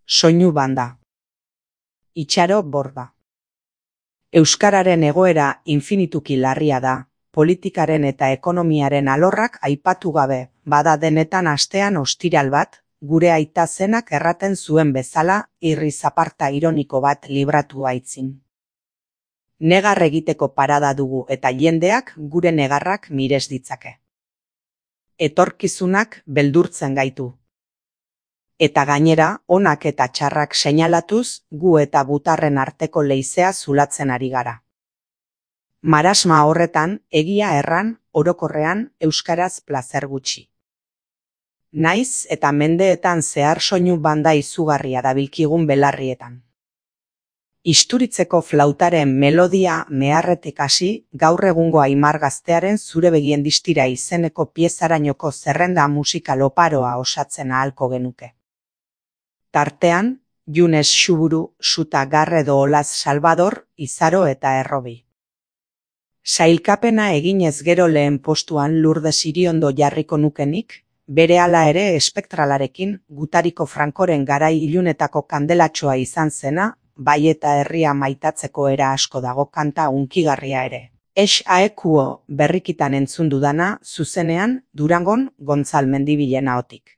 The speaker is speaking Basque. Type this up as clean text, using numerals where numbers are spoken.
Soinu banda. Itxaro Borda. Euskararen egoera infinituki larria da, politikaren eta ekonomiaren alorrak aipatu gabe, bada denetan astean ostiral bat, gure aita zenak erraten zuen bezala, irri zaparta ironiko bat libratu aitzin. Negar egiteko parada dugu eta jendeak gure negarrak mires ditzake. Etorkizunak beldurtzen gaitu. Eta gainera, onak eta txarrak seinalatuz, gu eta butarren arteko leizea zulatzen ari gara. Marasma horretan, egia erran, orokorrean, euskaraz plazer gutxi. Naiz eta mendeetan zehar soinu banda izugarria dabilkigun belarrietan. Isturitzeko flautaren melodia meharretik hasi, gaur egungo Aimar Gaztearen Zure begien distira izeneko piezarainoko zerrenda musikal oparoa osatzen ahalko genuke. Tartean, Junes Xuburu, Suta Garredo Olaz Salvador, Izaro eta Errobi. Sailkapena eginez gero lehen postuan Lourdes Iriondo jarriko nukenik, berehala ere espektralarekin Gutariko Frankoren garai ilunetako kandelatxoa izan zena, bai eta herria maitatzeko era asko dago kanta hunkigarria ere. Aekuo berrikitan entzun dudana, zuzenean, Durangon Gontzal Mendibilen ahotik.